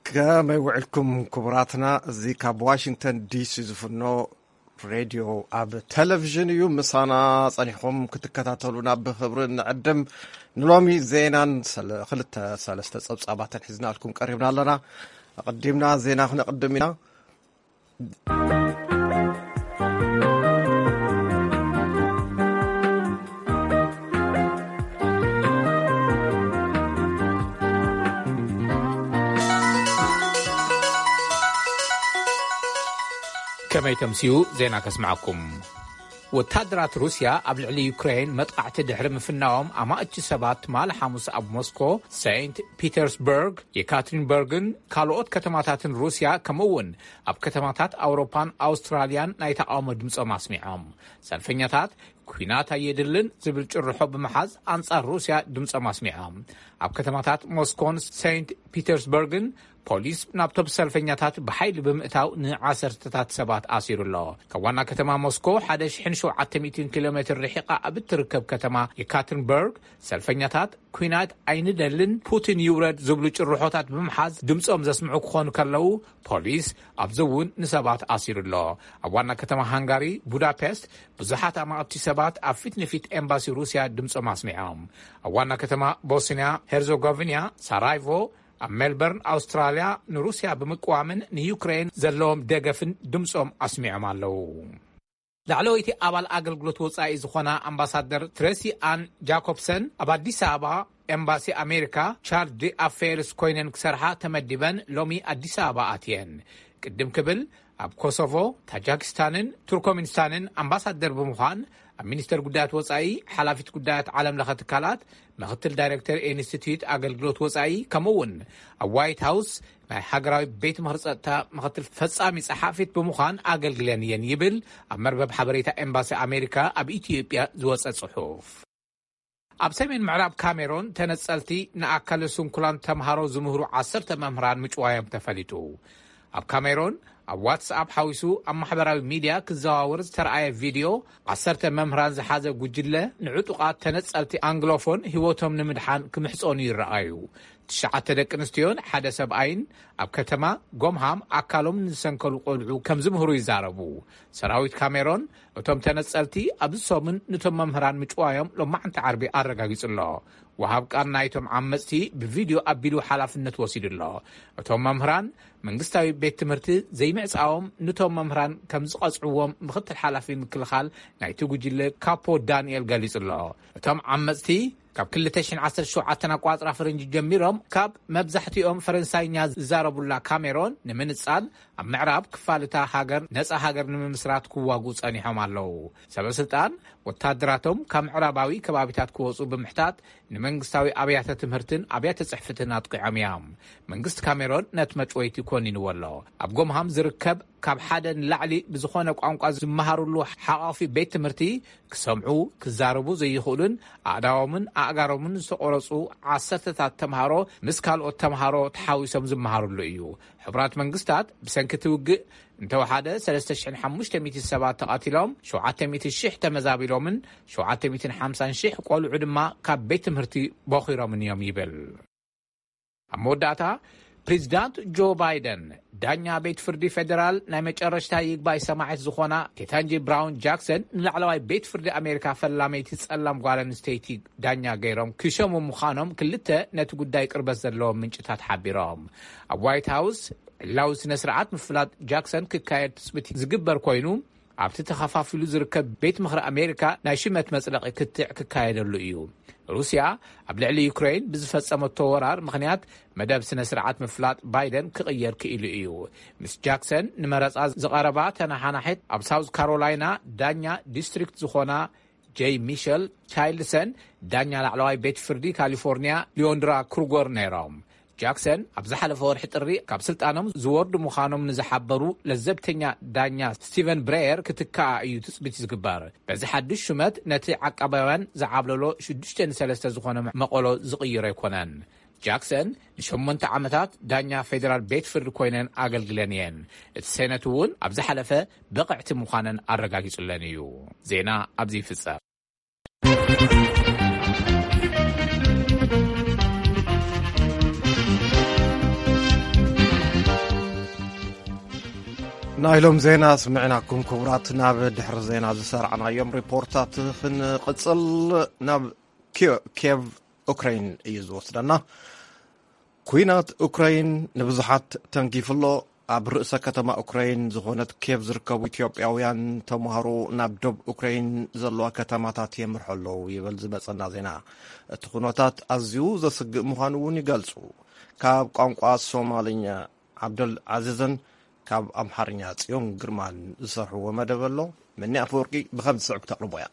ከመይ ውዕልኩም ክቡራትና? እዚ ካብ ዋሽንግተን ዲሲ ዝፍኖ ሬድዮ ኣብ ቴሌቪዥን እዩ። ምሳና ጸኒሕኩም ክትከታተሉና ብኽብሪ ንዕድም። ንሎሚ ዜናን ሰለ-፣ ክልተ ሰለስተ ጸብጻባትን ሒዝናልኩም ቀሪብና ኣለና። ኣቐዲምና ዜና ክነቕድም ኢና። ከመይ ተምስዩ ዜና ከስምዓኩም። ወታደራት ሩስያ ኣብ ልዕሊ ዩክሬን መጥቃዕቲ ድሕሪ ምፍናዎም፣ ኣማእቲ ሰባት ትማሊ ሓሙስ ኣብ ሞስኮ፣ ሴንት ፒተርስበርግ፣ የካትሪንበርግን ካልኦት ከተማታትን ሩስያ፣ ከምኡ እውን ኣብ ከተማታት ኣውሮፓን ኣውስትራልያን ናይ ተቃውሞ ድምጾም ኣስሚዖም። ሰልፈኛታት "ኲናት ኣየድልን" ዝብል ጭርሖ ብምሓዝ ኣንጻር ሩስያ ድምጾም ኣስሚዖም። ኣብ ከተማታት ሞስኮን ሴንት ፒተርስበርግን ፖሊስ ናብቶም ሰልፈኛታት ብሓይሊ ብምእታው ንዓሰርተታት ሰባት ኣሲሩ ኣሎ። ካብ ዋና ከተማ ሞስኮ ሓደ ሽሕን ሸውዓተ ሚእትን ኪሎ ሜትር ርሒቓ ኣብ እትርከብ ከተማ የካትሪንበርግ፣ ሰልፈኛታት "ኲናት ኣይንደልን፣ ፑቲን ይውረድ" ዝብሉ ጭርሖታት ብምሓዝ ድምጾም ዘስምዑ ክኾኑ ከለዉ፣ ፖሊስ ኣብዚ እውን ንሰባት ኣሲሩ ኣሎ። ኣብ ዋና ከተማ ሃንጋሪ ቡዳፔስት ብዙሓት ኣማእቲ ሰባት ኣብ ፊት ንፊት ኤምባሲ ሩስያ ድምጾም ኣስሚዖም። ኣብ ዋና ከተማ ቦስንያ ሄርዞጎቪና ሳራይቮ፣ ኣብ ሜልበርን ኣውስትራልያ ንሩስያ ብምቅዋምን ንዩክሬን ዘለዎም ደገፍን ድምጾም ኣስሚዖም ኣለዉ። ላዕለወይቲ ኣባል ኣገልግሎት ወጻኢ ዝኾና ኣምባሳደር ትሬሲ ኣን ጃኮብሰን ኣብ ኣዲስ ኣበባ ኤምባሲ ኣሜሪካ ቻርጅ ዲ ኣፌርስ ኮይነን ክሰርሓ ተመዲበን ሎሚ ኣዲስ ኣበባ ኣትየን። ቅድም ክብል ኣብ ኮሶቮ፣ ታጃኪስታንን ቱርኮሚኒስታንን ኣምባሳደር ብምዃን ኣብ ሚኒስተር ጉዳያት ወጻኢ፣ ሓላፊት ጉዳያት ዓለም ለኸ ትካላት፣ ምኽትል ዳይሬክተር ኢንስቲትዩት ኣገልግሎት ወጻኢ፣ ከምኡ እውን ኣብ ዋይት ሃውስ ናይ ሃገራዊ ቤት ምኽሪ ጸጥታ ምኽትል ፈጻሚ ጸሓፊት ብምዃን ኣገልግለን እየን ይብል ኣብ መርበብ ሓበሬታ ኤምባሲ ኣሜሪካ ኣብ ኢትዮጵያ ዝወጸ ጽሑፍ። ኣብ ሰሜን ምዕራብ ካሜሮን ተነጸልቲ ንኣካለ ስንኩላን ተምሃሮ ዝምህሩ ዓሰርተ መምህራን ምጭዋዮም ተፈሊጡ። ኣብ ካሜሮን ኣብ ዋትስኣፕ ሓዊሱ ኣብ ማሕበራዊ ሚድያ ክዘዋወር ዝተረኣየ ቪድዮ፣ ዓሰርተ መምህራን ዝሓዘ ጉጅለ ንዕጡቓት ተነጸልቲ ኣንግሎፎን ህይወቶም ንምድሓን ክምሕጸኑ ይረኣዩ። ትሽዓተ ደቂ ኣንስትዮን ሓደ ሰብኣይን ኣብ ከተማ ጎምሃም ኣካሎም ንዝሰንከሉ ቆልዑ ከም ዝምህሩ ይዛረቡ። ሰራዊት ካሜሮን እቶም ተነጸልቲ ኣብዚ ሰሙን ንቶም መምህራን ምጭዋዮም ሎማዕንቲ ዓርቢ ኣረጋጊጹ ኣሎ። ወሃብ ቃል ናይቶም ዓመጽቲ ብቪድዮ ኣቢሉ ሓላፍነት ወሲዱ ኣሎ። እቶም መምህራን መንግስታዊ ቤት ትምህርቲ ዘይምዕጻዎም ንቶም መምህራን ከም ዝቐጽዕዎም ምኽትል ሓላፊ ምክልኻል ናይቲ ጉጅለ ካፖ ዳንኤል ገሊጹ ኣሎ። እቶም ዓመጽቲ ካብ ክልተ ሽሕን ዓሰርተ ሸውዓተን ኣቋጽራ ፈረንጂ ጀሚሮም ካብ መብዛሕትኦም ፈረንሳይኛ ዝዛረቡላ ካሜሮን ንምንጻል ኣብ ምዕራብ ክፋል እታ ሃገር ነጻ ሃገር ንምምስራት ክዋጉ ጸኒሖም ኣለዉ። ሰበ ስልጣን ወታደራቶም ካብ ምዕራባዊ ከባቢታት ክወጹ ብምሕታት ንመንግስታዊ ኣብያተ ትምህርትን ኣብያተ ጽሕፍትን ኣጥቂዖም እዮም። መንግስቲ ካሜሮን ነቲ መጭወይቲ ኮኒንዎ ኣሎ። ኣብ ጎምሃም ዝርከብ ካብ ሓደ ንላዕሊ ብዝኾነ ቋንቋ ዝመሃሩሉ ሓቋፊ ቤት ትምህርቲ ክሰምዑ፣ ክዛረቡ ዘይኽእሉን ኣእዳዎምን ኣእጋሮምን ዝተቖረጹ ዓሰርተታት ተምሃሮ ምስ ካልኦት ተምሃሮ ተሓዊሶም ዝመሃሩሉ እዩ። ሕቡራት መንግስታት ብሰንኪ እቲ ውግእ እንተወሓደ ሰለስተ ሽሕን ሓሙሽተ ሚእቲ ሰባት ተቐቲሎም፣ ሸውዓተ ሚእቲ ሽሕ ተመዛቢሎምን ሸውዓተ ሚእትን ሓምሳን ሽሕ ቆልዑ ድማ ካብ ቤት ትምህርቲ ቦኺሮምን እዮም ይብል። ኣብ መወዳእታ፣ ፕሬዚዳንት ጆ ባይደን ዳኛ ቤት ፍርዲ ፌደራል ናይ መጨረሽታ ይግባይ ሰማዒት ዝኾና ኬታንጂ ብራውን ጃክሰን ንላዕለዋይ ቤት ፍርዲ ኣሜሪካ ፈላመይቲ ጸላም ጓል ኣንስተይቲ ዳኛ ገይሮም ክሸሙ ምዃኖም ክልተ ነቲ ጉዳይ ቅርበት ዘለዎም ምንጭታት ሓቢሮም። ኣብ ዋይት ሃውስ ዕላዊ ስነ ስርዓት ምፍላጥ ጃክሰን ክካየድ ትጽቢት ዝግበር ኮይኑ፣ ኣብቲ ተኸፋፊሉ ዝርከብ ቤት ምኽሪ ኣሜሪካ ናይ ሽመት መጽደቒ ክትዕ ክካየደሉ እዩ። ሩስያ ኣብ ልዕሊ ዩክሬን ብዝፈጸመቶ ወራር ምኽንያት መደብ ስነ ስርዓት ምፍላጥ ባይደን ክቕየር ክኢሉ እዩ። ምስ ጃክሰን ንመረጻ ዝቐረባ ተነሓናሒት ኣብ ሳውዝ ካሮላይና ዳኛ ዲስትሪክት ዝኾና ጄይ ሚሸል ቻይልድሰን ዳኛ ላዕለዋይ ቤት ፍርዲ ካሊፎርኒያ ሊዮንድራ ክሩገር ነይሮም። ጃክሰን ኣብ ዝሓለፈ ወርሒ ጥሪ ካብ ስልጣኖም ዝወርዱ ምዃኖም ንዝሓበሩ ለዘብተኛ ዳኛ ስቲቨን ብሬየር ክትከኣ እዩ ትጽቢት ዝግበር። በዚ ሓድሽ ሹመት ነቲ ዓቃባውያን ዝዓብለሎ ሽዱሽተ ንሰለስተ ዝኾነ መቐሎ ዝቕይሮ ኣይኮነን። ጃክሰን ንሸሞንተ ዓመታት ዳኛ ፌደራል ቤት ፍርዲ ኮይነን ኣገልግለን እየን። እቲ ሴነት እውን ኣብ ዝሓለፈ ብቕዕቲ ምዃነን ኣረጋጊጹለን እዩ። ዜና ኣብዚ ይፍጸም። ናይሎም ዜና ስምዕናኩም ክቡራት። ናብ ድሕሪ ዜና ዝሰራዕናዮም ሪፖርታት ክንቕጽል፣ ናብ ኪዮ- ኬቭ ኡክራይን እዩ ዝወስደና። ኩናት ኡክራይን ንብዙሓት ተንኪፉ ኣሎ። ኣብ ርእሰ ከተማ ኡክራይን ዝኾነት ኬቭ ዝርከቡ ኢትዮጵያውያን ተምሃሮ ናብ ዶብ ኡክራይን ዘለዋ ከተማታት የምርሑ ኣለዉ ይብል ዝመጸና ዜና። እቲ ኩነታት ኣዝዩ ዘስግእ ምዃኑ እውን ይገልጹ። ካብ ቋንቋ ሶማልኛ ዓብደል ዓዚዝን ካብ ኣምሓርኛ ጽዮን ግርማን ዝሰርሕዎ መደብ ኣሎ። መኒ ኣፈወርቂ ብኸም ዝስዕብ ክተቕርቦ እያ።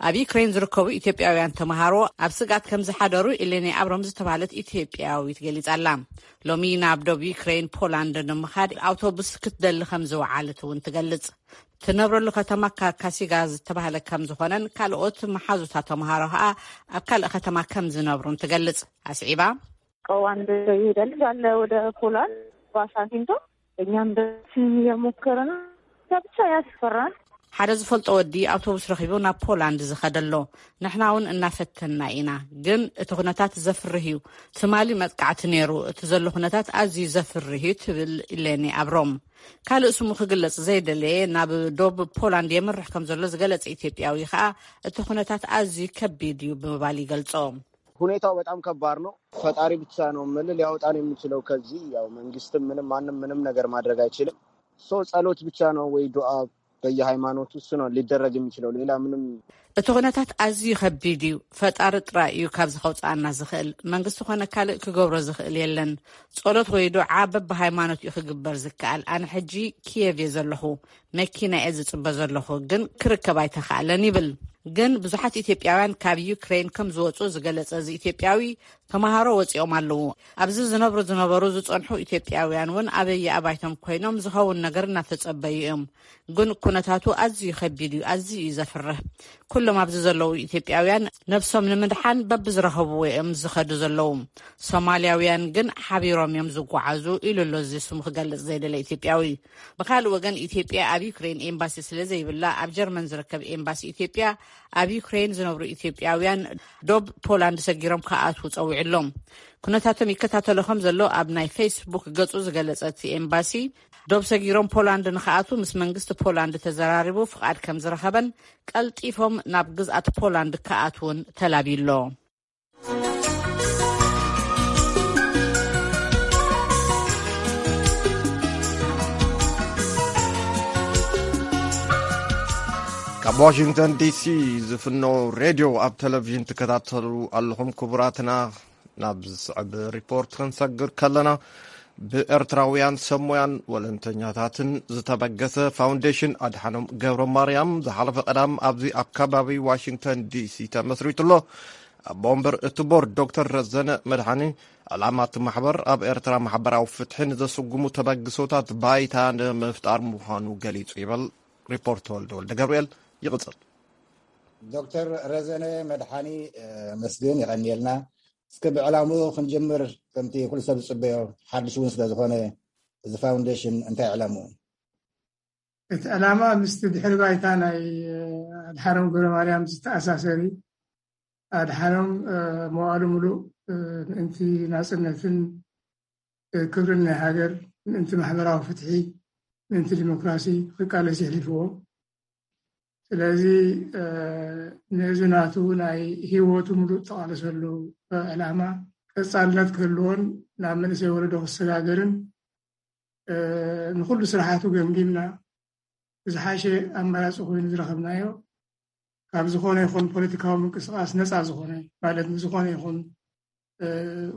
ኣብ ዩክሬን ዝርከቡ ኢትዮጵያውያን ተምሃሮ ኣብ ስግኣት ከም ዝሓደሩ ኢሌኒ ኣብሮም ዝተባህለት ኢትዮጵያዊት ገሊጻ ኣላ። ሎሚ ናብ ዶብ ዩክሬን ፖላንድ ንምኻድ ኣውቶቡስ ክትደሊ ከም ዝወዓለት እውን ትገልጽ። ትነብረሉ ከተማ ካካሲጋ ዝተባህለ ከም ዝኾነን ካልኦት መሓዙታ ተምሃሮ ኸኣ ኣብ ካልእ ከተማ ከም ዝነብሩን ትገልጽ። ኣስዒባ ቀዋን ይሄዳል አለ ወደ ፖላንድ ዋሻንግተን። እኛም በስም እየሞከረ ነው። ብቻ ያስፈራል። ሓደ ዝፈልጦ ወዲ ኣውቶቡስ ረኺቡ ናብ ፖላንድ ዝኸደሎ። ንሕና እውን እናፈተና ኢና፣ ግን እቲ ኩነታት ዘፍርህ እዩ። ትማሊ መጥቃዕቲ ነይሩ፣ እቲ ዘሎ ኩነታት ኣዝዩ ዘፍርህ እዩ ትብል ኢሌኒ ኣብሮም። ካልእ ስሙ ክግለጽ ዘይደለየ ናብ ዶብ ፖላንድ የምርሕ ከም ዘሎ ዝገለጸ ኢትዮጵያዊ ኸኣ እቲ ኩነታት ኣዝዩ ከቢድ እዩ ብምባል ይገልጾ። ሁኔታው በጣም ከባድ ነው። ፈጣሪ ብቻ ነው ምል ሊያወጣን የሚችለው ከዚህ። ያው መንግስትም ምንም ማንም ምንም ነገር ማድረግ አይችልም። ሶ ጸሎት ብቻ ነው ወይ ዱዓ በየሃይማኖቱ፣ እሱ ነው ሊደረግ የሚችለው። ሌላ ምንም እቲ ኩነታት ኣዝዩ ከቢድ እዩ። ፈጣሪ ጥራይ እዩ ካብዚ ከውፅኣና ዝኽእል። መንግስቲ ኮነ ካልእ ክገብሮ ዝኽእል የለን። ጸሎት ወይ ዱዓ በብሃይማኖት እዩ ክግበር ዝከኣል። ኣነ ሕጂ ኪየቭ እየ ዘለኹ። መኪና እየ ዝጽበ ዘለኹ፣ ግን ክርከብ ኣይተኻእለን ይብል። ግን ብዙሓት ኢትዮጵያውያን ካብ ዩክሬን ከም ዝወጹ ዝገለጸ እዚ ኢትዮጵያዊ፣ ተምሃሮ ወጺኦም ኣለዉ። ኣብዚ ዝነብሩ ዝነበሩ ዝጸንሑ ኢትዮጵያውያን እውን ኣበየ ኣባይቶም ኮይኖም ዝኸውን ነገር እናተጸበዩ እዮም። ግን ኩነታቱ ኣዝዩ ከቢድ እዩ፣ ኣዝዩ እዩ ዘፍርህ። ኩሎም ኣብዚ ዘለዉ ኢትዮጵያውያን ነብሶም ንምድሓን በብዝረኸብዎ እዮም ዝኸዱ ዘለዉ። ሶማልያውያን ግን ሓቢሮም እዮም ዝጓዓዙ ኢሉ ኣሎ እዚ ስሙ ክገልጽ ዘይደለ ኢትዮጵያዊ። ብኻልእ ወገን ኢትዮጵያ ኣብ ዩክሬን ኤምባሲ ስለ ዘይብላ ኣብ ጀርመን ዝርከብ ኤምባሲ ኢትዮጵያ ኣብ ዩክሬን ዝነብሩ ኢትዮጵያውያን ዶብ ፖላንድ ሰጊሮም ክኣትዉ ጸዊዑ ኣሎ። ኩነታቶም ይከታተሎ ከም ዘሎ ኣብ ናይ ፌስቡክ ገጹ ዝገለጸ እቲ ኤምባሲ ዶብ ሰጊሮም ፖላንድ ንኽኣትዉ ምስ መንግስቲ ፖላንድ ተዘራሪቡ ፍቓድ ከም ዝረኸበን ቀልጢፎም ናብ ግዝኣት ፖላንድ ክኣትዉን ተላብዩ ኣሎ። ካብ ዋሽንግተን ዲሲ ዝፍኖ ሬድዮ ኣብ ቴሌቪዥን ትከታተሉ ኣለኹም ክቡራትና። ናብ ዝስዕብ ሪፖርት ክንሰግር ከለና፣ ብኤርትራውያን ሰብ ሞያን ወለንተኛታትን ዝተበገሰ ፋውንዴሽን ኣድሓኖም ገብረ ማርያም ዝሓለፈ ቀዳም ኣብዚ ኣብ ከባቢ ዋሽንግተን ዲሲ ተመስሪቱ ኣሎ። ኣቦ ወንበር እቲ ቦርድ ዶክተር ረዘነ መድሓኒ፣ ዕላማ እቲ ማሕበር ኣብ ኤርትራ ማሕበራዊ ፍትሒ ንዘስጉሙ ተበግሶታት ባይታ ንምፍጣር ምዃኑ ገሊጹ ይብል። ሪፖርት ተወልደ ወልደ ገብርኤል ይቕጽል። ዶክተር ረዘነ መድሓኒ፣ እ፣ መስግን የቐንየልና። እስከ ብዕላምኡ ክንጅምር፣ ከምቲ ኩሉ ሰብ ዝጽበዮ፣ ሓድሽ እውን ስለ ዝኾነ፣ እዚ ፋውንዴሽን እንታይ ዕላምኡ? እቲ ዕላማ ምስቲ ድሕሪ ባይታ ናይ፣ እ፣ ኣድሓኖም ገብረ ማርያም ዝተኣሳሰር እዩ። ኣድሓኖም፣ እ፣ መዋእሉ ምሉእ፣ እ፣ ምእንቲ ናጽነትን፣ እ፣ ክብርን ናይ ሃገር፣ ምእንቲ ማሕበራዊ ፍትሒ፣ ምእንቲ ዲሞክራሲ ክቃለስ የሕሊፍዎ። ስለዚ፣ እ፣ ነዚ ናቱ ናይ ህይወቱ ምሉእ ዝተቓለሰሉ፣ እ፣ ዕላማ ቀጻልነት ክህልዎን ናብ መንእሰይ ወለዶ ክሰጋገርን፣ እ፣ ንኹሉ ስራሓቱ ገምጊምና፣ ዝሓሸ ኣማራጺ ኮይኑ ዝረኸብናዮ፣ ካብ ዝኾነ ይኹን ፖለቲካዊ ምንቅስቓስ ነጻ ዝኾነ፣ ማለት ንዝኾነ ይኹን፣ እ፣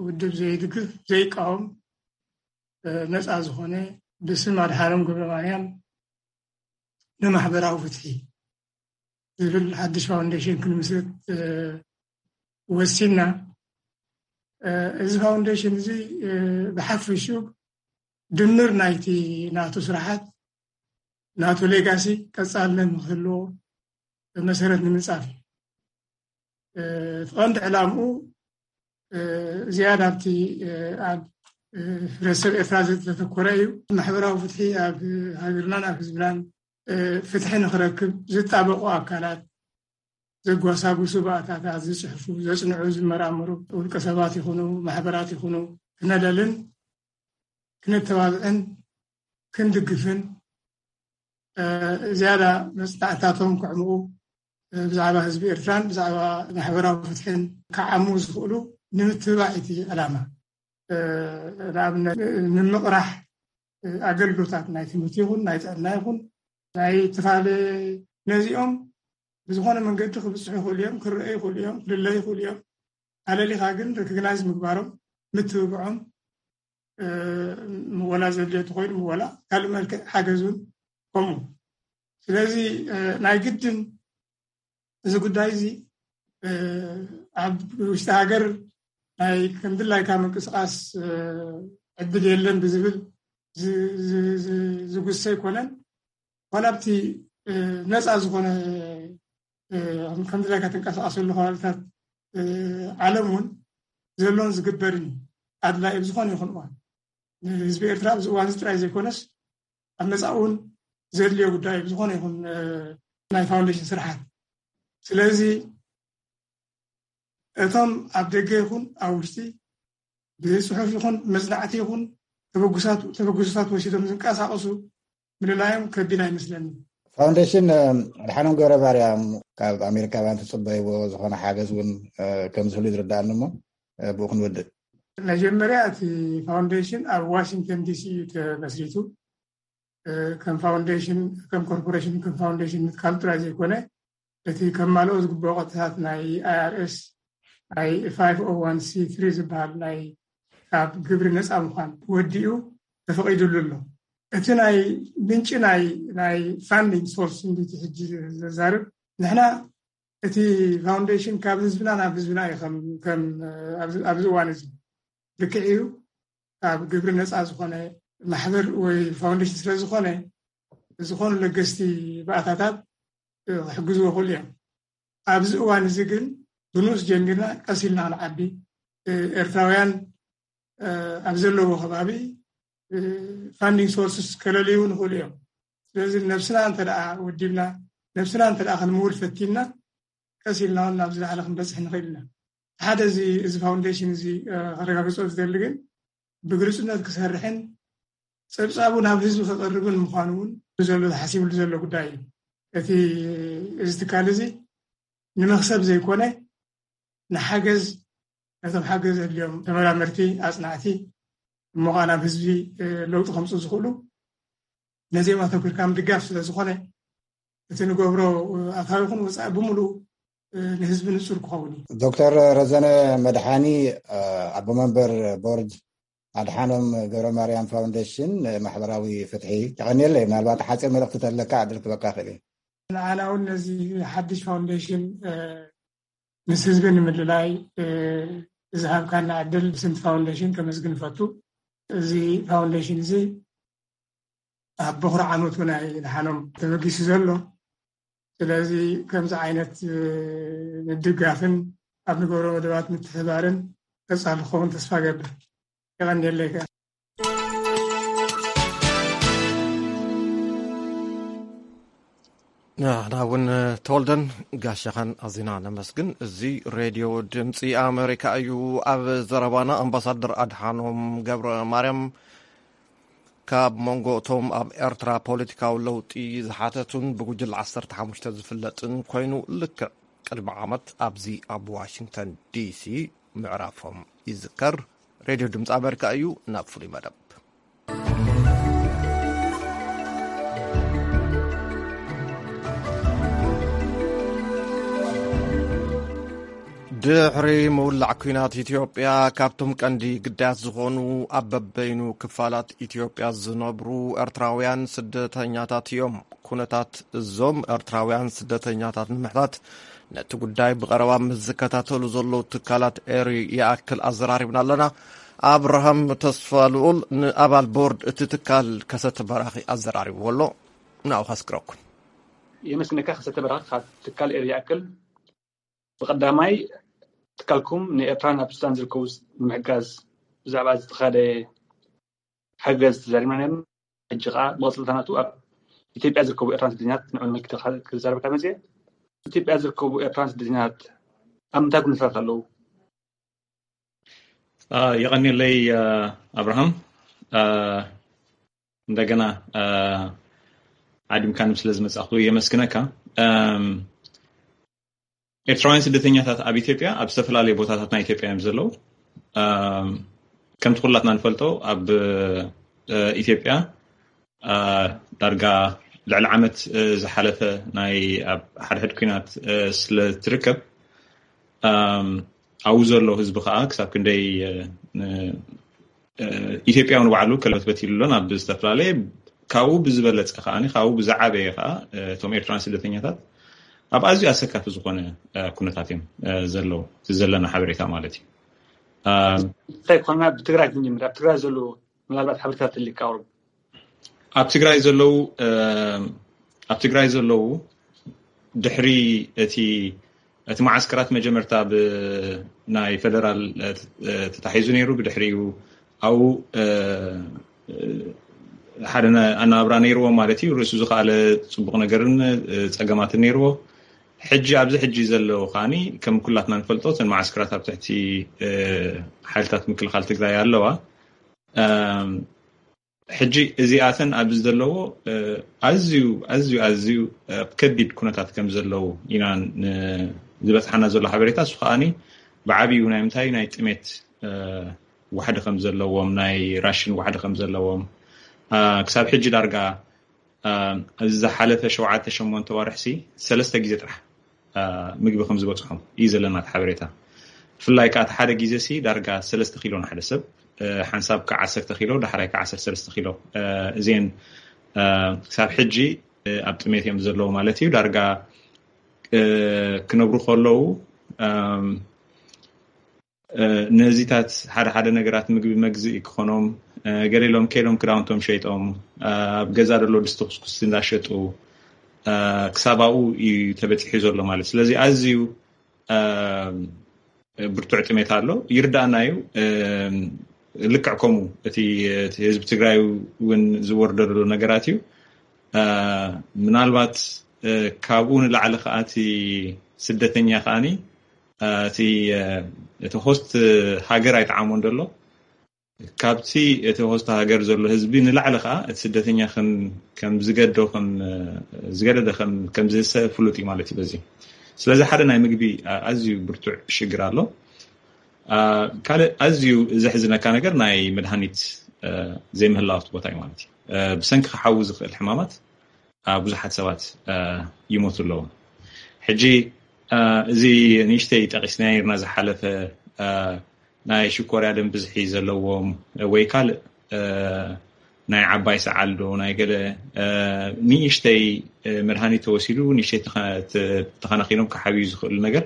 ውድብ ዘይድግፍ፣ ዘይቃወም፣ እ፣ ነጻ ዝኾነ፣ ብስም ኣድሓኖም ገብረ ማርያም ንማሕበራዊ ፍትሒ ዝብል ሓድሽ ፋውንዴሽን ክንምስርት፣ እ፣ ወሲንና። እ፣ እዚ ፋውንዴሽን እዚ፣ እ፣ ብሓፈሽኡ ድምር ናይቲ ናቱ ስራሓት፣ ናቱ ሌጋሲ ቀጻልነት ንክህልዎ መሰረት ንምንጻፍ እዩ። እ፣ እቲ ቀንዲ ዕላምኡ ዝያዳ ኣብቲ ኣብ ሕብረተሰብ ኤርትራ ዘተኮረ እዩ። ማሕበራዊ ፍትሒ ኣብ ሃገርናን ኣብ ህዝብናን ፍትሒ ንክረክብ ዝጣበቁ ኣካላት፣ ዘጓሳጉሱ ባእታታት፣ ዝፅሕፉ፣ ዘፅንዑ፣ ዝመራመሩ ውልቀ ሰባት ይኹኑ ማሕበራት ይኹኑ ክነለልን ክነተባብዕን ክንድግፍን ዝያዳ መፅናዕታቶም ክዕምቑ ብዛዕባ ህዝቢ ኤርትራን ብዛዕባ ማሕበራዊ ፍትሕን ክዓሙ ዝኽእሉ ንምትብባዕ እቲ ዕላማ። ንኣብነት ንምቕራሕ ኣገልግሎታት ናይ ትምህርቲ ይኹን ናይ ጥዕና ይኹን ናይ ትፋለ ነዚኦም ብዝኾነ መንገዲ ክብፅሑ ይኽእሉ እዮም፣ ክረኣዩ ይኽእሉ እዮም፣ ክልለዩ ይኽእሉ እዮም። ኣለሊኻ ግን ሪኮግናይዝ ምግባሮም፣ ምትብብዖም፣ ወላ ዘድልዮ ተኾይኑ ወላ ካልእ መልክዕ ሓገዝ እውን ከምኡ። ስለዚ ናይ ግድን እዚ ጉዳይ እዚ ኣብ ውሽጢ ሃገር ናይ ከምድላይካ ምንቅስቃስ ዕድል የለን ብዝብል ዝጉሰ ኣይኮነን። ዋላ ኣብቲ ነፃ ዝኾነ ከምድላይካ ትንቀሳቀሰሉ ከባቢታት ዓለም እውን ዘሎን ዝግበርን ኣድላይ ኣብ ዝኾነ ይኹን እዋን ንህዝቢ ኤርትራ ኣብዚ እዋን እዚ ጥራይ ዘይኮነስ ኣብ መጻእ እውን ዘድልዮ ጉዳይ ኣብ ዝኾነ ይኹን ናይ ፋውንዴሽን ስርሓት። ስለዚ እቶም ኣብ ደገ ይኹን ኣብ ውሽጢ ብፅሑፍ ይኹን መፅናዕቲ ይኹን ተበጉሳት ተበጉስታት ወሲዶም ዝንቀሳቀሱ ምልላዮም ከቢድ ኣይመስለኒ። ፋውንዴሽን ኣድሓኖም ገብረ ማርያም ካብ ኣሜሪካውያን ትፅበይዎ ዝኾነ ሓገዝ እውን ከም ዝህሉ ዝርዳእኒ እሞ ብኡ ክንወድእ። መጀመርያ እቲ ፋውንዴሽን ኣብ ዋሽንግተን ዲሲ እዩ ተመስሪቱ። ከም ፋውንዴሽን ከም ኮርፖሬሽን ከም ፋውንዴሽን ምትካል ጥራይ ዘይኮነ እቲ ከማልኦ ዝግብኦ ቅጥታት ናይ ኣይኣርኤስ ናይ ፋይቭ ኦ ዋን ሲ ትሪ ዝበሃል ናይ ካብ ግብሪ ነፃ ምዃን ወዲኡ ተፈቒዱሉ ኣሎ። እቲ ናይ ምንጪ ናይ ናይ ፋንዲንግ ሶርስ እንዲቲ ሕጂ ዘዛርብ ንሕና እቲ ፋውንዴሽን ካብ ህዝብና ናብ ህዝብና እዩ ከም ኣብዚ እዋን እዚ ልክዕ እዩ። ካብ ግብሪ ነፃ ዝኾነ ማሕበር ወይ ፋውንዴሽን ስለ ዝኾነ ዝኾኑ ለገስቲ ባእታታት ክሕግዝዎ ይኽእሉ እዮም። ኣብዚ እዋን እዚ ግን ብንኡስ ጀሚርና ቀስ ኢልና ክንዓቢ ኤርትራውያን ኣብ ዘለዎ ከባቢ ፋንዲንግ ሶርስስ ከለልዩ ንኽእሉ እዮም። ስለዚ ነብስና እንተ ደኣ ወዲብና ነብስና እንተ ደኣ ክንምውል ፈቲንና ቀስ ኢልና እውን ናብ ዝለዓለ ክንበፅሕ ንኽእል ኢና። ሓደ እዚ እዚ ፋውንዴሽን እዚ ከረጋግፆ ዝደሊ ግን ብግልፅነት ክሰርሕን ፀብፃቡ ናብ ህዝቢ ከቐርብን ምዃኑ እውን ዘሎ ተሓሲብሉ ዘሎ ጉዳይ እዩ። እቲ እዚ ትካል እዚ ንመክሰብ ዘይኮነ ንሓገዝ ነቶም ሓገዝ ዘድልዮም ተመራመርቲ ኣፅናዕቲ እሞ ከዓ ናብ ህዝቢ ለውጢ ከምፁ ዝኽእሉ ነዚኦም ኣተኩርካ ምድጋፍ ስለ ዝኾነ እቲ ንገብሮ ኣታዊ ይኹን ወፃኢ ብምሉእ ንህዝቢ ንፁር ክኸውን እዩ። ዶክተር ረዘነ መድሓኒ ኣቦ መንበር ቦርድ ኣድሓኖም ገብረ ማርያም ፋውንዴሽን ማሕበራዊ ፍትሒ የቐንየለይ። ምናልባት ሓፂር መልእኽቲ ተለካ ዕድል ክበካ ክእል እዩ። ንዓና እውን ነዚ ሓድሽ ፋውንዴሽን ምስ ህዝቢ ንምልላይ ዝሃብካና ዕድል ብስም ፋውንዴሽን ከመስግን እፈቱ። እዚ ፋውንዴሽን እዚ ኣብ በኹሪ ዓመቱ ናይ ደሓኖም ተበጊሱ ዘሎ። ስለዚ ከምዚ ዓይነት ምድጋፍን ኣብ ንገብሮ መደባት ምትሕባርን ቀጻሊ ክኸውን ተስፋ ገብር። የቐንየለይ። ንሕና እውን ተወልደን ጋሻኻን ኣዚና ነመስግን። እዚ ሬድዮ ድምፂ ኣሜሪካ እዩ። ኣብ ዘረባና ኣምባሳደር ኣድሓኖም ገብረ ማርያም ካብ መንጎ እቶም ኣብ ኤርትራ ፖለቲካዊ ለውጢ ዝሓተቱን ብጉጅለ ዓሰርተ ሓሙሽተ ዝፍለጥን ኮይኑ ልክዕ ቅድሚ ዓመት ኣብዚ ኣብ ዋሽንግተን ዲሲ ምዕራፎም ይዝከር። ሬድዮ ድምፂ ኣሜሪካ እዩ ናብ ፍሉይ መደብ። ድሕሪ ምውላዕ ኲናት ኢትዮጵያ ካብቶም ቀንዲ ግዳያት ዝኾኑ ኣብ በበይኑ ክፋላት ኢትዮጵያ ዝነብሩ ኤርትራውያን ስደተኛታት እዮም። ኩነታት እዞም ኤርትራውያን ስደተኛታት ንምሕታት ነቲ ጉዳይ ብቐረባ ምስ ዝከታተሉ ዘለዉ ትካላት ኤሪ ይኣክል ኣዘራሪብና ኣለና። ኣብርሃም ተስፋ ልኡል ንኣባል ቦርድ እቲ ትካል ከሰተ በራኺ ኣዘራሪብዎ ኣሎ። ንኣኡ ከስክረኩም። የመስግነካ ከሰተ በራኺ ካብ ትካል ኤሪ ይኣክል። ብቐዳማይ ትካልኩም ንኤርትራን ኣብ ሱዳን ዝርከቡ ንምሕጋዝ ብዛዕባ ዝተኻደ ሓገዝ ተዛሪብና ነርና። ሕጂ ከዓ መቐፅልታናቱ ኣብ ኢትዮጵያ ዝርከቡ ኤርትራን ስደተኛት ንዕኡ ንምልክት ክዛረበካ መፅየ። ኢትዮጵያ ዝርከቡ ኤርትራን ስደተኛት ኣብ ምንታይ ኩነታት ኣለዉ? የቐኒለይ ኣብርሃም። እንደገና ዓዲምካንም ስለ ዝመጻእኩ የመስግነካ። ኤርትራውያን ስደተኛታት ኣብ ኢትዮጵያ ኣብ ዝተፈላለዩ ቦታታት ናይ ኢትዮጵያ እዮም ዘለዉ። ከምቲ ኩላትና ንፈልጦ ኣብ ኢትዮጵያ ዳርጋ ልዕሊ ዓመት ዝሓለፈ ናይ ኣብ ሓድሕድ ኩናት ስለ ትርከብ ኣብኡ ዘሎ ህዝቢ ከዓ ክሳብ ክንደይ ኢትዮጵያዊ ንባዕሉ ከለበት በቲሉ ኣሎ ናብ ዝተፈላለየ ካብኡ ብዝበለፀ ከዓ ካብኡ ብዝዓበየ ከዓ እቶም ኤርትራን ስደተኛታት ኣብ ኣዝዩ ኣሰካፊ ዝኾነ ኩነታት እዮም ዘለዉ። እቲ ዘለና ሓበሬታ ማለት እዩ። እንታይ ኮና ብትግራይ ክንጅምር ኣብ ትግራይ ዘለዉ ምናልባት ሓበሬታ ትልካ ኣውርብ ኣብ ትግራይ ዘለዉ ኣብ ትግራይ ዘለዉ ድሕሪ እቲ እቲ መዓስከራት መጀመርታ ብናይ ፌደራል ተታሒዙ ነይሩ። ብድሕሪኡ ኣብኡ ሓደ ኣናብራ ነይርዎ ማለት እዩ። ርእሱ ዝኸኣለ ፅቡቕ ነገርን ፀገማትን ነይርዎ። ሕጂ ኣብዚ ሕጂ ዘለዉ ከዓኒ ከም ኩላትና ንፈልጦ እተን መዓስከራት ኣብ ትሕቲ ሓይልታት ምክልኻል ትግራይ ኣለዋ። ሕጂ እዚኣተን ኣብዚ ዘለዎ ኣዝዩ ኣዝዩ ኣዝዩ ከቢድ ኩነታት ከም ዘለዉ ኢና ዝበፅሓና ዘሎ ሓበሬታ። እሱ ከዓኒ ብዓብዩ ናይ ምንታይ ናይ ጥሜት ዋሕዲ ከም ዘለዎም ናይ ራሽን ዋሕዲ ከም ዘለዎም ክሳብ ሕጂ ዳርጋ እዚ ዝሓለፈ ሸውዓተ ሸሞንተ ወርሕሲ ሰለስተ ግዜ ጥራሕ ምግቢ ከም ዝበፅሖም እዩ ዘለና እቲ ሓበሬታ። ብፍላይ ከዓ እቲ ሓደ ግዜ ሲ ዳርጋ ሰለስተ ኪሎ ንሓደ ሰብ ሓንሳብ ከዓ ዓሰርተ ኪሎ ዳሕራይ ከዓ ዓሰርተ ሰለስተ ኪሎ እዚን ክሳብ ሕጂ ኣብ ጥሜት እዮም ዘለዉ ማለት እዩ። ዳርጋ ክነብሩ ከለዉ ነዚታት ሓደ ሓደ ነገራት ምግቢ መግዝኢ ክኾኖም ገሌሎም ከይዶም ክዳውንቶም ሸይጦም ኣብ ገዛ ደሎ ድስቲ ኩስኩስቲ እንዳሸጡ ክሳብ ኣብኡ እዩ ተበፂሑ ዘሎ ማለት። ስለዚ ኣዝዩ ብርቱዕ ጥሜት ኣሎ። ይርዳእና እዩ። ልክዕ ከምኡ እቲ ህዝቢ ትግራይ እውን ዝወርዶ ዘሎ ነገራት እዩ። ምናልባት ካብኡ ንላዕሊ ከዓ እቲ ስደተኛ ከዓኒ እቲ እቲ ሆስት ሃገር ኣይጠዓሞን ዘሎ ካብቲ እቲ ሆስት ሃገር ዘሎ ህዝቢ ንላዕሊ ከዓ እቲ ስደተኛ ከም ዝገዶ ዝገደደ ከም ዝህሰ ፍሉጥ እዩ ማለት እዩ። በዚ ስለዚ ሓደ ናይ ምግቢ ኣዝዩ ብርቱዕ ሽግር ኣሎ። ካልእ ኣዝዩ ዘሕዝነካ ነገር ናይ መድሃኒት ዘይምህላው ኣብቲ ቦታ እዩ ማለት እዩ። ብሰንኪ ክሓዊ ዝኽእል ሕማማት ብዙሓት ሰባት ይሞቱ ኣለዉ። ሕጂ እዚ ንእሽተይ ጠቂስና ይርና ዝሓለፈ ናይ ሽኮርያ ደም ብዝሒ ዘለዎም ወይ ካልእ ናይ ዓባይ ሰዓል ዶ ናይ ገለ ንእሽተይ መድሃኒት ተወሲዱ ንእሽተይ ተኸናኺኖም ክሓብዩ ዝኽእሉ ነገር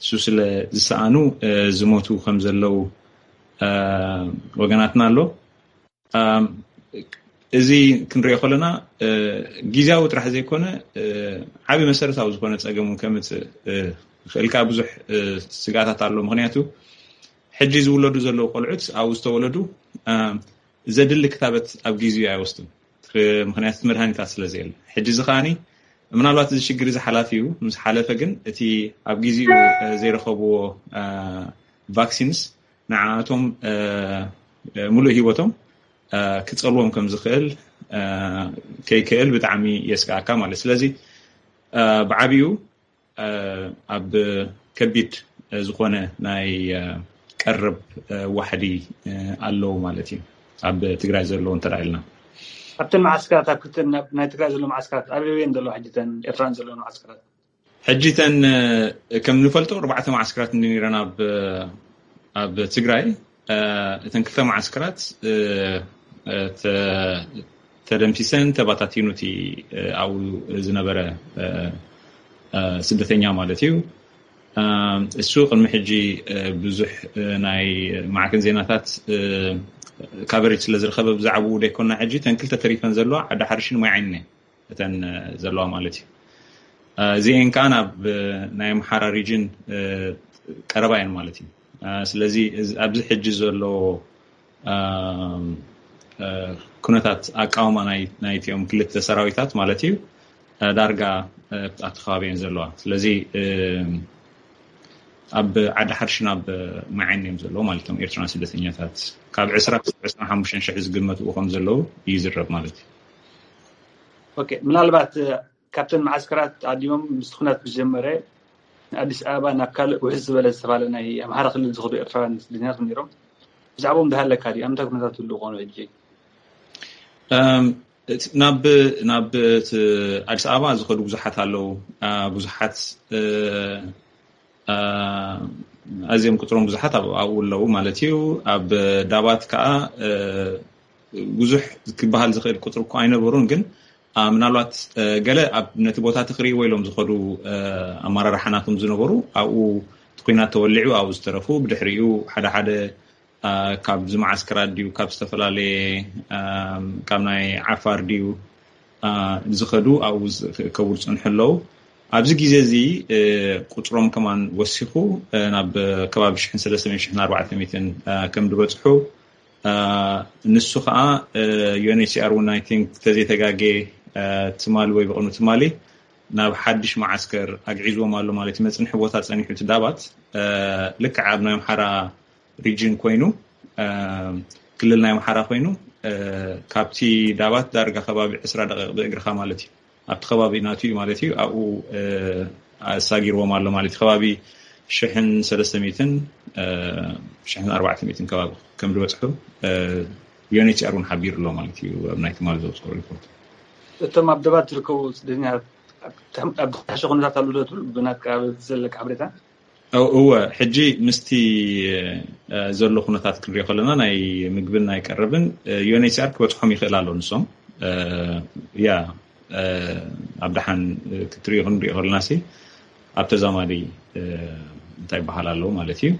እሱ ስለ ዝሰኣኑ ዝሞቱ ከም ዘለዉ ወገናትና ኣሎ። እዚ ክንሪኦ ከለና ግዜያዊ ጥራሕ ዘይኮነ ዓብዪ መሰረታዊ ዝኾነ ፀገም እውን ከምፅእ ይኽእል። ብዙሕ ስጋታት ኣሎ። ምክንያቱ ሕጂ ዝውለዱ ዘለዉ ቆልዑት ኣብኡ ዝተወለዱ ዘድሊ ክታበት ኣብ ግዜኡ ኣይወስዱን። ምክንያቱ መድሃኒታት ስለ ዘየለ ሕጂ እዚ ከዓኒ ምናልባት እዚ ሽግር እዚ ሓላፊ እዩ ምስ ሓለፈ ግን እቲ ኣብ ግዜኡ ዘይረኸብዎ ቫክሲንስ ንዓኣቶም ሙሉእ ሂወቶም ክፀልዎም ከም ዝኽእል ከይክእል ብጣዕሚ የስጋኣካ ማለት። ስለዚ ብዓብዩ ኣብ ከቢድ ዝኾነ ናይ ቀረብ ዋሕዲ ኣለዉ ማለት እዩ ኣብ ትግራይ ዘለዉ እንተ ኢልና። ኣብተን መዓስከራት ኣብ ክልተ ናይ ትግራይ ዘሎ መዓስከራት ኣበየን ዘለዋ ሕጂ ተን ኤርትራን ዘለዋ መዓስከራት? ሕጂ ተን ከም ንፈልጦ ኣርባዕተ መዓስከራት እንዲኒረን ኣብ ኣብ ትግራይ እተን ክልተ መዓስከራት ተደምሲሰን ተባታቲኑ እቲ ኣብኡ ዝነበረ ስደተኛ ማለት እዩ። እሱ ቅድሚ ሕጂ ብዙሕ ናይ ማዕከን ዜናታት ካቨሬጅ ስለ ዝረኸበ ብዛዕባኡ ደይኮና ሕጂ እተን ክልተ ተሪፈን ዘለዋ ዓዲ ሓርሽን ማይ ዓይንን እተን ዘለዋ ማለት እዩ። እዚአን ከዓ ናብ ናይ ኣምሓራ ሪጅን ቀረባ እየን ማለት እዩ። ስለዚ ኣብዚ ሕጂ ዘሎ ኩነታት ኣቃውማ ናይቲኦም ክልተ ሰራዊታት ማለት እዩ ዳርጋ ኣብቲ ከባቢ እየን ዘለዋ። ስለዚ ኣብ ዓዲ ሓርሽን ኣብ ማዓይን እዮም ዘለዉ ማለት እዮም ኤርትራውያን ስደተኛታት። ካብ ዕስራ ክሳብ ዕስራን ሓሙሽተን ሽሕ ዝግመቱ ከም ዘለዉ ይዝረብ ማለት እዩ። ምናልባት ካብተን መዓስከራት ኣዲሞም ምስ ኩናት ምስ ጀመረ ኣዲስ ኣበባ ናብ ካልእ ውሕስ ዝበለ ዝተባለ ናይ ኣምሓራ ክልል ዝኸዱ ኤርትራውያን ስደተኛታት ነይሮም። ብዛዕባኦም ዝሃለካ ድዩ? ኣብ ምንታይ ኩነታት ይህልው ኮኑ ሕጂ? ናብ ናብ ኣዲስ ኣበባ ዝኸዱ ብዙሓት ኣለዉ። ብዙሓት ኣዝዮም ቁፅሮም ብዙሓት ኣብኡ ኣለዉ ማለት እዩ። ኣብ ዳባት ከዓ ብዙሕ ክበሃል ዝኽእል ቁፅሪ እኮ ኣይነበሩን፣ ግን ምናልባት ገለ ኣብ ነቲ ቦታ ትኽሪእዎ ኢሎም ዝኸዱ ኣመራርሓ ናቶም ዝነበሩ ኣብኡ እቲ ኩናት ተወሊዑ ኣብኡ ዝተረፉ፣ ብድሕሪኡ ሓደ ሓደ ካብዚ መዓስከራት ድዩ ካብ ዝተፈላለየ ካብ ናይ ዓፋር ድዩ ዝኸዱ ኣብኡ ክእከቡ ዝፅንሑ ኣለዉ። ኣብዚ ግዜ እዚ ቁፅሮም ከማን ወሲኹ ናብ ከባቢ ሽሕን ሰለስተ ሚእትን ሽሕን ኣርባዕተ ሚእትን ከም ዝበፅሑ ንሱ ከዓ ዩኤንኤችሲኣር እውን ኣይ ቲንክ ተዘይተጋጌ ትማሊ ወይ ብቕኑ ትማሊ ናብ ሓድሽ መዓስከር ኣግዒዝዎም ኣሎ ማለት እዩ። መፅንሒ ቦታ ፀኒሑ እቲ ዳባት ልክዕ ኣብ ናይ ኣምሓራ ሪጅን ኮይኑ ክልል ናይ ኣምሓራ ኮይኑ ካብቲ ዳባት ዳርጋ ከባቢ ዕስራ ደቂቕ ብእግርኻ ማለት እዩ። ኣብቲ ከባቢ ናቱ እዩ ማለት እዩ። ኣብኡ ኣሳጊርዎም ኣሎ ማለት እዩ። ከባቢ ሽሕን ሰለስተ ሚእትን ሽሕን ኣርባዕተ ሚእትን ከባቢ ከም ዝበፅሑ ዩኤንኤችሲኣር እውን ሓቢሩ ኣሎ ማለት እዩ። ኣብ ናይ ትማሊ ዘውፅኦ ሪፖርት እቶም ኣብ ዳባት ዝርከቡ ስደተኛታት ኣብ ዝሓሸ ኩነታት ኣለዉ ዶ ትብል ብናትካ ዘለካ ሓበሬታ? እወ፣ ሕጂ ምስቲ ዘሎ ኩነታት ክንሪኦ ከለና ናይ ምግብን ናይ ቀረብን ዩኤንኤችሲኣር ክበፅሖም ይኽእል ኣሎ። ንሶም ያ ኣብ ደሓን ክትሪኦ ክንሪኦ ከለና ሲ ኣብ ተዛማዲ እንታይ ይበሃል ኣለዉ ማለት እዩ።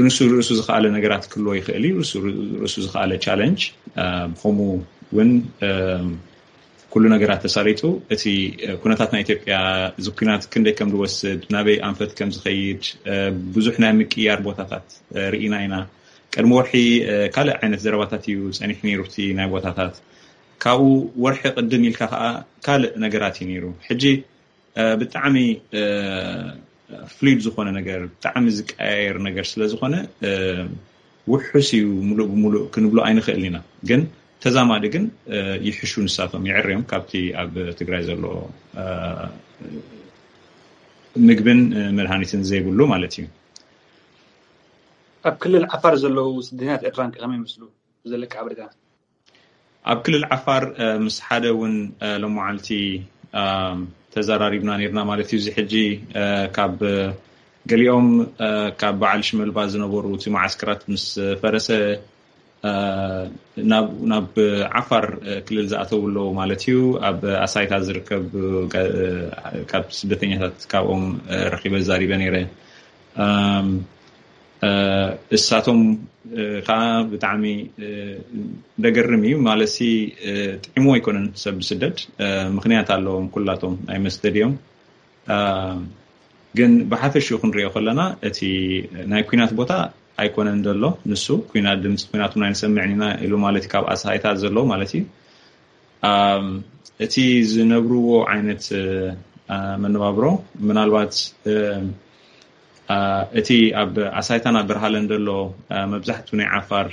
ንሱ ርእሱ ዝኸኣለ ነገራት ክህልዎ ይኽእል እዩ። ርእሱ ዝኸኣለ ቻለንጅ ብኸምኡ እውን ኩሉ ነገራት ተሳሊጡ እቲ ኩነታት ናይ ኢትዮጵያ እዚ ኩናት ክንደይ ከም ዝወስድ ናበይ ኣንፈት ከም ዝኸይድ ብዙሕ ናይ ምቅያር ቦታታት ርኢና ኢና። ቅድሚ ወርሒ ካልእ ዓይነት ዘረባታት እዩ ጸኒሑ ነይሩ እቲ ናይ ቦታታት። ካብኡ ወርሒ ቅድም ኢልካ ከዓ ካልእ ነገራት እዩ ነይሩ። ሕጂ ብጣዕሚ ፍሉይድ ዝኾነ ነገር ብጣዕሚ ዝቀያየር ነገር ስለ ዝኾነ ውሑስ እዩ ሙሉእ ብሙሉእ ክንብሎ ኣይንኽእልን ኢና። ግን ተዛማዲ ግን ይሕሹ ንሳቶም ይዕርዮም ካብቲ ኣብ ትግራይ ዘሎ ምግብን መድሃኒትን ዘይብሉ ማለት እዩ። ኣብ ክልል ዓፋር ዘለዉ ስደተኛታት ኤርትራን ከ ከመይ ይመስሉ? ዘለካ ሓበሬታ? ኣብ ክልል ዓፋር ምስ ሓደ እውን ሎመዓልቲ ተዘራሪብና ነርና ማለት እዩ። እዚ ሕጂ ካብ ገሊኦም ካብ በዓል ሽመልባ ዝነበሩ እቲ መዓስከራት ምስ ፈረሰ ናብ ዓፋር ክልል ዝኣተው ኣለዉ ማለት እዩ። ኣብ ኣሳይታ ዝርከብ ካብ ስደተኛታት ካብኦም ረኺበ ዛሪበ ነይረ። እሳቶም ከዓ ብጣዕሚ ደገርም እዩ ማለት ጥዕሞ ኣይኮነን ሰብ ብስደት ምክንያት ኣለዎም ኩላቶም ናይ መስደድ እዮም። ግን ብሓፈሽኡ ክንሪኦ ከለና እቲ ናይ ኩናት ቦታ ኣይኮነን ዘሎ። ንሱ ኩናት ድምፂ ኩናት ናይ ንሰምዕን ኢና ኢሉ ማለት ካብ ኣሳይታ ዘሎ ማለት እዩ። እቲ ዝነብርዎ ዓይነት መነባብሮ ምናልባት እቲ ኣብ ኣሳይታን ኣብ በርሃለን ዘሎ መብዛሕቱ ናይ ዓፋር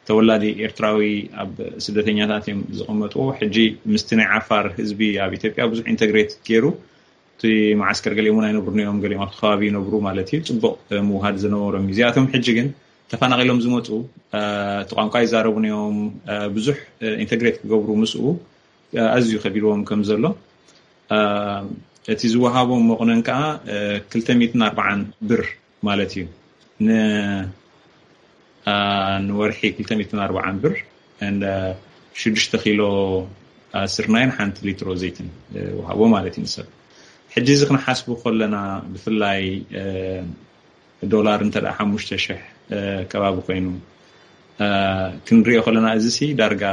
ተወላዲ ኤርትራዊ ኣብ ስደተኛታት እዮም ዝቐመጥዎ። ሕጂ ምስቲ ናይ ዓፋር ህዝቢ ኣብ ኢትዮጵያ ብዙሕ ኢንተግሬት ገይሩ እቲ መዓስከር ገሊኦም እውን ኣይነብሩን እዮም፣ ገሊኦም ኣብቲ ከባቢ ይነብሩ ማለት እዩ። ፅቡቕ ምውሃድ ዝነበሮም እዩ። እዚኣቶም ሕጂ ግን ተፈናቒሎም ዝመፁ እቲ ቋንቋ ይዛረቡን እዮም። ብዙሕ ኢንተግሬት ክገብሩ ምስኡ ኣዝዩ ከቢድዎም ከም ዘሎ እቲ ዝወሃቦም መቑነን ከዓ ክልተ ሚእትን ኣርባዓን ብር ማለት እዩ። ንወርሒ ክልተ ሚእትን ኣርባዓን ብር ሽዱሽተ ኪሎ ስርናይን ሓንቲ ሊትሮ ዘይትን ወሃቦ ማለት እዩ ንሰብ። ሕጂ እዚ ክንሓስቡ ከለና ብፍላይ ዶላር እንተ ሓሙሽተ ሽሕ ከባቢ ኮይኑ ክንሪኦ ከለና እዚ ሲ ዳርጋ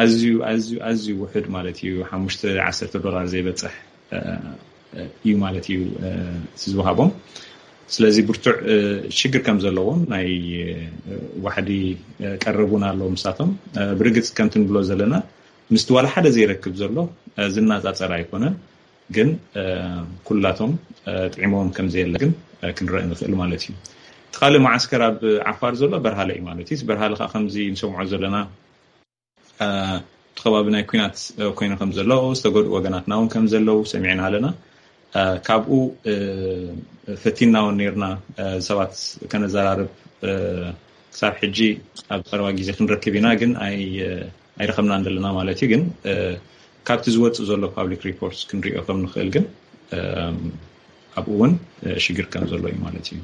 ኣዝዩ ኣዝዩ ኣዝዩ ውሕድ ማለት እዩ። ሓሙሽተ ዓሰርተ ዶላር ዘይበፅሕ እዩ ማለት እዩ እቲ ዝወሃቦም። ስለዚ ብርቱዕ ሽግር ከም ዘለዎም ናይ ዋሕዲ ቀረብ እውን ኣለዎም ንሳቶም። ብርግፅ ከምቲ ንብሎ ዘለና ምስቲ ዋላ ሓደ ዘይረክብ ዘሎ ዝናፃፀር ኣይኮነን። ግን ኩላቶም ጥዒሞም ከም ዘየለ ግን ክንረእ ንኽእል ማለት እዩ። እቲ ካልእ መዓስከር ኣብ ዓፋር ዘሎ በርሃለ እዩ ማለት እዩ። በርሃለ ከዓ ከምዚ ንሰምዖ ዘለና እቲ ከባቢ ናይ ኩናት ኮይኑ ከም ዘለዉ ዝተጎድኡ ወገናትና እውን ከም ዘለዉ ሰሚዕና ኣለና። ካብኡ ፈቲና እውን ነርና ሰባት ከነዘራርብ ክሳብ ሕጂ ኣብ ቀረባ ግዜ ክንረክብ ኢና ግን ኣይረኸብናን ዘለና ማለት እዩ። ግን ካብቲ ዝወፅእ ዘሎ ፓብሊክ ሪፖርት ክንሪኦ ከም ንኽእል ግን ኣብኡ እውን ሽግር ከም ዘሎ እዩ ማለት እዩ።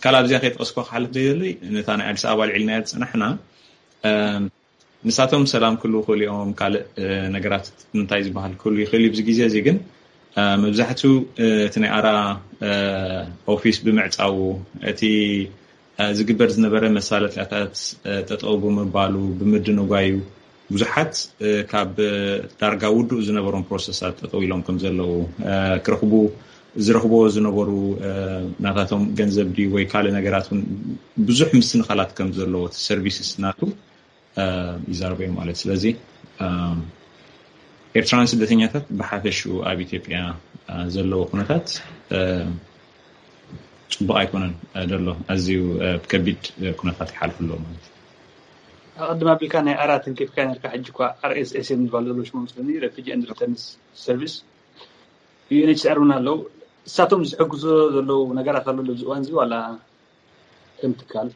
ካልእ ኣብዚኣ ከይጠቀስኳ ክሓልፍ ዘይደሊ ነታ ናይ ኣዲስ ኣበባ ልዕልና ዝፅናሕና ንሳቶም ሰላም ክህልዉ ይኽእሉ እዮም። ካልእ ነገራት እንታይ ዝበሃል ክህሉ ይኽእል እዩ። ኣብዚ ግዜ እዚ ግን መብዛሕትኡ እቲ ናይ ኣራ ኦፊስ ብምዕፃዉ እቲ ዝግበር ዝነበረ መሳለጥያታት ጠጠው ብምባሉ ብምድንጓዩ ብዙሓት ካብ ዳርጋ ውዱእ ዝነበሮም ፕሮሰሳት ጠጠው ኢሎም ከም ዘለዉ ክረኽቡ ዝረኽብዎ ዝነበሩ ናታቶም ገንዘብ ድዩ ወይ ካልእ ነገራት እውን ብዙሕ ምስንኻላት ከም ዘለዎ እቲ ሰርቪስስ ናቱ ይዛረቡ እዮም ማለት። ስለዚ ኤርትራውያን ስደተኛታት ብሓፈሽኡ ኣብ ኢትዮጵያ ዘለዎ ኩነታት ፅቡቅ ኣይኮነን ዘሎ። ኣዝዩ ከቢድ ኩነታት ይሓልፉ ኣለዉ ማለት እዩ። ኣቐድም ኣቢልካ ናይ ኣራት እንኬፍካ ነርካ ሕጂ እኳ ኣር ኤስ ኤስ እዮም ዝበሉ ዘለዉ ሽሞም ስለኒ ረፊጂ ኤንድ ሪተርንስ ሰርቪስ ዩ ኤን ኤች ሲ ኣር እውን ኣለዉ። እሳቶም ዝሕግዞ ዘለዉ ነገራት ኣሎ ኣብዚ እዋን እዚ ዋላ ከም ትካል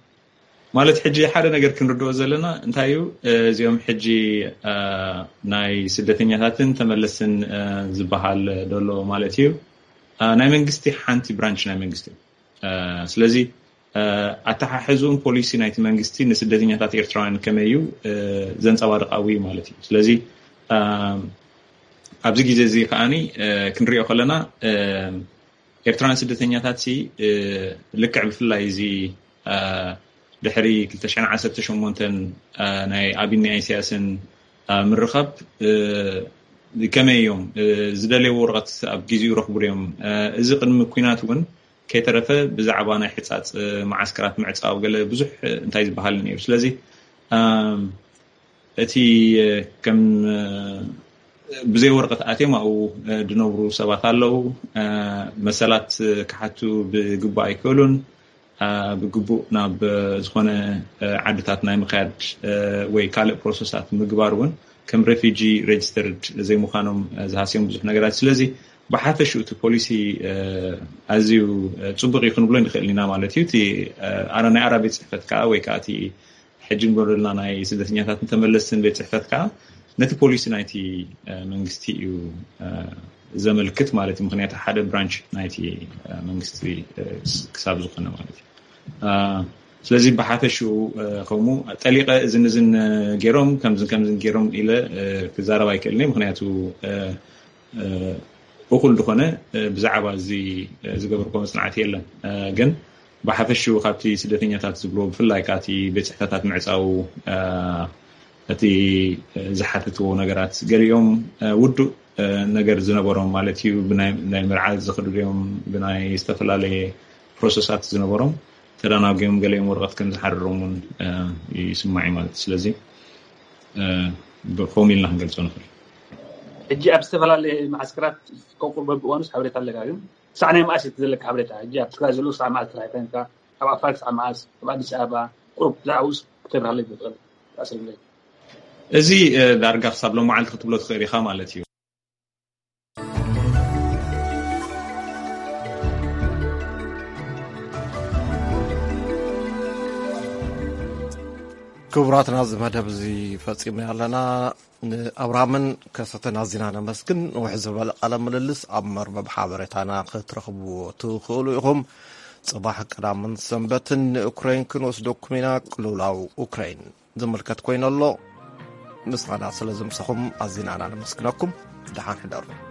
ማለት ሕጂ ሓደ ነገር ክንርድኦ ዘለና እንታይ እዩ እዚኦም ሕጂ ናይ ስደተኛታትን ተመለስትን ዝበሃል ደሎ ማለት እዩ። ናይ መንግስቲ ሓንቲ ብራንች ናይ መንግስቲ እዩ። ስለዚ ኣተሓሕዝኡን ፖሊሲ ናይቲ መንግስቲ ንስደተኛታት ኤርትራውያን ከመይ እዩ ዘንፀባርቃዊ ማለት እዩ። ስለዚ ኣብዚ ግዜ እዚ ከዓኒ ክንሪኦ ከለና ኤርትራውያን ስደተኛታት ሲ ልክዕ ብፍላይ እዚ ድሕሪ ክልተ ሽሕን ዓሰርተ ሸሞንተን ናይ ኣቢን ናይ ኢሳያስን ምርኻብ ከመይ እዮም ዝደለይዎ ወረቐት ኣብ ግዜኡ ረኽቡ እዮም። እዚ ቅድሚ ኩናት እውን ከይተረፈ ብዛዕባ ናይ ሕፃፅ መዓስከራት ምዕፃው ገለ ብዙሕ እንታይ ዝበሃል ነይሩ። ስለዚ እቲ ከም ብዘይ ወረቐት ኣትዮም ኣብኡ ዝነብሩ ሰባት ኣለዉ። መሰላት ክሓቱ ብግቡእ ኣይክእሉን። ብግቡእ ናብ ዝኾነ ዓድታት ናይ ምኽያድ ወይ ካልእ ፕሮሰሳት ምግባር እውን ከም ሬፊጂ ሬጅስተርድ ዘይምዃኖም ዝሃስዮም ብዙሕ ነገራት። ስለዚ ብሓፈሽኡ እቲ ፖሊሲ ኣዝዩ ፅቡቅ እዩ ክንብሎ ንኽእል ኢና ማለት እዩ። እቲ ናይ ኣራ ቤት ፅሕፈት ከዓ ወይ ከዓ እቲ ሕጂ ንገብረልና ናይ ስደተኛታት እንተመለስትን ቤት ፅሕፈት ከዓ ነቲ ፖሊሲ ናይቲ መንግስቲ እዩ ዘመልክት ማለት እዩ። ምክንያቱ ሓደ ብራንች ናይቲ መንግስቲ ክሳብ ዝኾነ ማለት እዩ። ስለዚ ብሓፈሽኡ ከምኡ ጠሊቀ እዝን እዝን ገይሮም ከምዝን ከምዝን ገይሮም ኢለ ክዛረብ ኣይክእልን እየ። ምክንያቱ እኹል ዝኾነ ብዛዕባ እዚ ዝገብርኮ መፅናዕቲ የለን። ግን ብሓፈሽኡ ካብቲ ስደተኛታት ዝብሎ ብፍላይ ካብቲ ቤት ፅሕፈታት ምዕፃው እቲ ዝሓትትዎ ነገራት ገሊኦም ውዱእ ነገር ዝነበሮም ማለት እዩ። ብናይ ምርዓድ ዝኽድድዮም ብናይ ዝተፈላለየ ፕሮሰሳት ዝነበሮም ተዳናጉዮም ገሊኦም ወረቐት ከም ዝሓርሮም እውን ይስማዕ እዩ ማለት እዩ። ስለዚ ብኸም ኢልና ክንገልፆ ንኽእል። ሕጂ ኣብ ዝተፈላለየ መዓስከራት ከቁር በብእዋኑስ ሓበሬታ ኣለካ ግን ክሳዕ ናይ መዓስ እቲ ዘለካ ሓበሬታ ሕጂ ኣብ ትግራይ ዘለዉ ክሳዕ መዓስ ጥራሕ ኮይንካ ኣብ ዓፋር ክሳዕ መዓስ ኣብ ኣዲስ ኣበባ ቁሩብ ብዛዕባኡስ ክተብርሃለይ ትኽእል ኣስርግለይ። እዚ ዳርጋ ክሳብ ሎመዓልቲ ክትብሎ ትኽእል ኢኻ ማለት እዩ። ክቡራትና እዚ መደብ እዚ ፈፂምና ኣለና። ንኣብርሃምን ከሰተን ኣዚና ነመስግን። ንውሕ ዝበለ ቃለ ምልልስ ኣብ መርበብ ሓበሬታና ክትረኽብዎ ትኽእሉ ኢኹም። ፅባሕ ቀዳምን ሰንበትን ንኡክራይን ክንወስደኩም ኢና። ቅልውላው ኡክራይን ዝምልከት ኮይኑ ኣሎ። ምሳና ስለ ዝምሰኹም ኣዚና ኢና ነመስግነኩም። ደሓን ሕደሩ።